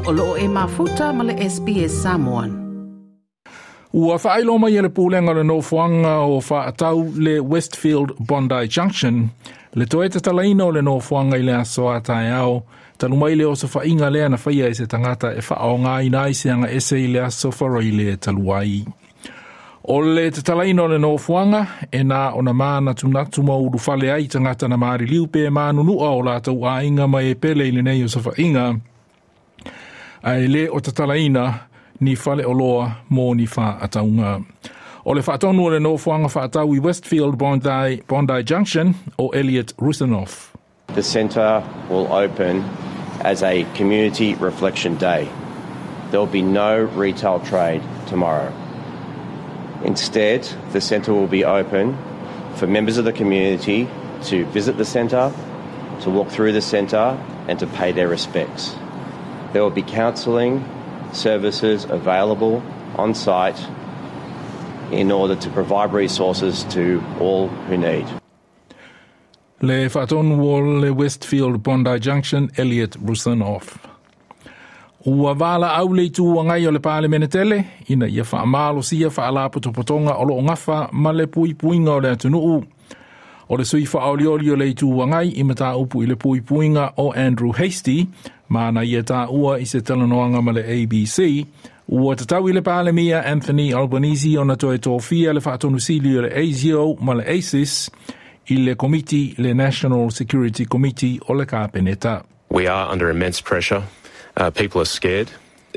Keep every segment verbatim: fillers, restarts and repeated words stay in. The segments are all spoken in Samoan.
O loo e mafuta ma le S B S Samoan. Ua whaailo mai e le pulenga le nofoanga o whaatau le Westfield Bondi Junction, le toe tatalaina o le nofoanga i le aso a taeao, talu mai le osofa'iga lea na faia e se tagata e fa'aaogāina ai se aga ese i le aso Faraile talu ai. O le tatalaina o le nofoaga e na ona manatunatu ma ulufale ai tagata na maliliu pe manunu'a o latou aiga ma e pele i lenei osofa'iga, ae lē o tatalaina ni faleoloa mo ni fa'atauga. O le faatonu o le nofoaga fa'atau i Westfield Bondi, Bondi Junction o Elliot Rusanoff. The centre will open as a community reflection day. There will be no retail trade tomorrow. Instead, the centre will be open for members of the community to visit the centre, to walk through the centre, and to pay their respects. There will be counselling services available on site in order to provide resources to all who need. Le faatonu o le Westfield Bondi Junction, Elliot Rusanoff. Ua valaau le Itu Agai o le Palemene tele, ina ia faamalosia faalapotopotoga o loo gafa ma le puipuiga o le atunuu. O le sui faaolioli o le Itu Agai i mataupu i le puipuiga o Andrew Hastie, ma na ia taua i se talanoaga ma le A B C, ua tatau i le Palemia Anthony Albanese ona toe tofia le faatonusili o le ASIO ma le ASIS i le komiti le National Security Committee o le Kapeneta. We are under immense pressure. Uh, people are scared.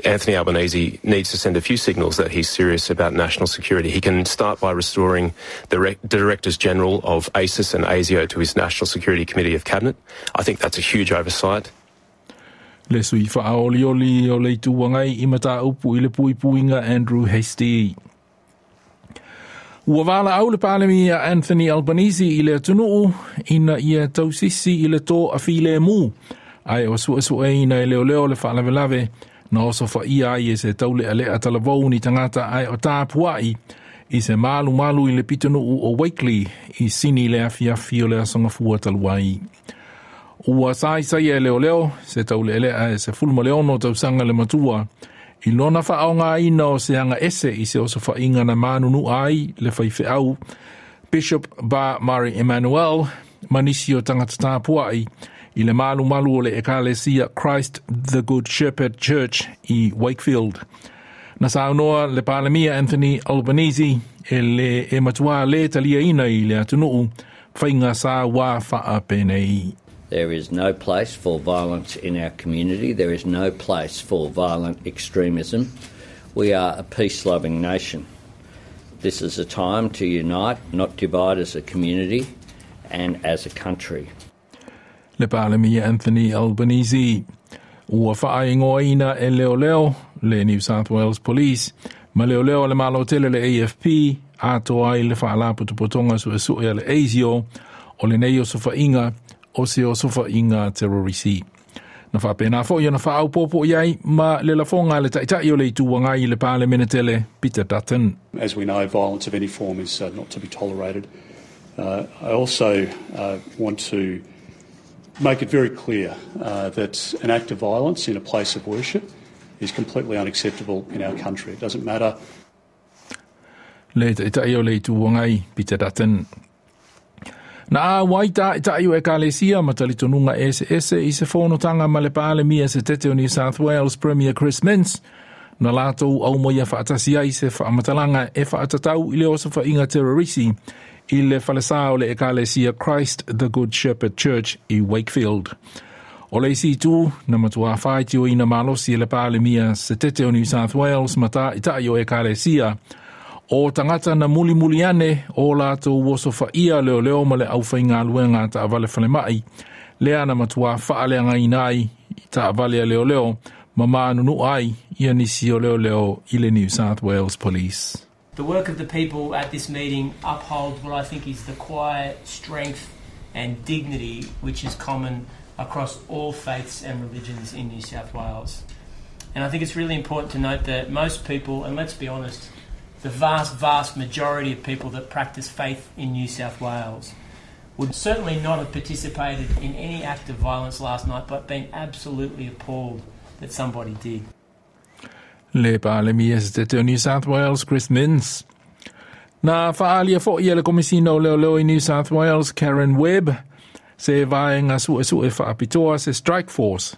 Anthony Albanese needs to send a few signals that he's serious about national security. He can start by restoring the Re- Directors General of ASIS and ASIO to his National Security Committee of Cabinet. I think that's a huge oversight. Le sui faaolioli o le Itu Agai i mataupu i le puipuiga Andrew Hastie. Ua valaau le Palemia Anthony Albanese i le atunuu ina ia tausisi i le toafilemu, ae o suesueina e leoleo le faalavelave na osofa'ia ai e se taule'ale'a talavou ni tagata ae o tapua'i i se malumalu i le pitonuu o Wakeley i Sini le afiafi o le aso Gafua talu ai. Ua saisai e leoleo se taule'ale'a e sefulu ma le ono tausaga le matua i lona fa'aaogāina o se aga ese i se osofa'iga na manunu'a ai le faife'au Bishop Bar Mari Emmanuel ma nisi o tagata tapua'i i le malumalu o le ekalesia Christ the Good Shepherd Church i Wakefield. Na saunoa le Palemia Anthony Albanese e le e matuā lē taliaina i le atunuu faiga sa wā faapenei. There is no place for violence in our community. There is no place for violent extremism. We are a peace loving nation. This is a time to unite, not divide, as a community and as a country. Le Palemia Anthony Albanese. Ua faaigoaina e leoleo le New South Wales Police ma leoleo le Malo tele le A F P atoa ai le faalapotopotoga suesue a le ASIO o lenei osofa'iga o se osofa'iga terrorisi. Na faapena fo'i ona faaaupopo i ai ma le lafoga le Ta'ita'i o le Itu Agai i le Palemene tele Peter Dutton. As we know, violence of any form is uh, not to be tolerated. Uh, I also uh, want to make it very clear uh, that an act of violence in a place of worship is completely unacceptable in our country. It doesn't matter Le Ta'ita'i o le Itu Agai Peter Dutton. Na auai ta'ita'i o ekalesia ma talitonuga eseese i se fonotaga ma le Palemia setete o New South Wales Premier Chris Minns na latou aumaia faatasi ai se faamatalaga e faatatau i le osofa'iga terrorisi i le falesā o le ekalesia Christ the Good Shepherd Church i Wakefield. O le isi itu na matuā faitioina malosi e le Palemia setete o New South Wales ma ta'ita'i o ekalesia o tagata na mulimuli ane o latou osofa'ia leoleo ma le aufaigaluega ta'avale falema'i lea na matuā fa'aleagaina ai i ta'avale a leoleo ma manunu'a ai ia nisi o leoleo i le New South Wales Police. The work of the people at this meeting upholds what I think is the quiet strength and dignity which is common across all faiths and religions in New South Wales. And I think it's really important to note that most people, and let's be honest, the vast, vast majority of people that practice faith in New South Wales would certainly not have participated in any act of violence last night, but been absolutely appalled that somebody did. Le Palemia se tete o New South Wales, Chris Minns. Na fa'aalia fo'i e le Komisina o Leoleo i New South Wales, Karen Webb, se vaega su'esu'e fa'apitoa se Strike Force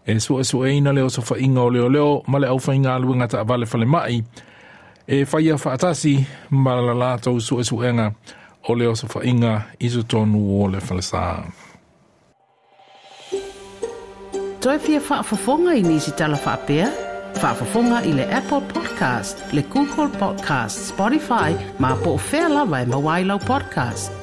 e su'esu'eina le osofa'iga o leoleo ma le aufaigaluega ta'avale falema'i e faia fa'atasi ma la latou su'esu'ega o le osofa'iga i totonu o le falesā. Toe fia faafofoga i nisi tala faapea? Faafofoga i le Apple Podcast, le Google Podcast, Spotify, ma po o fea lava e maua ai lau podcast.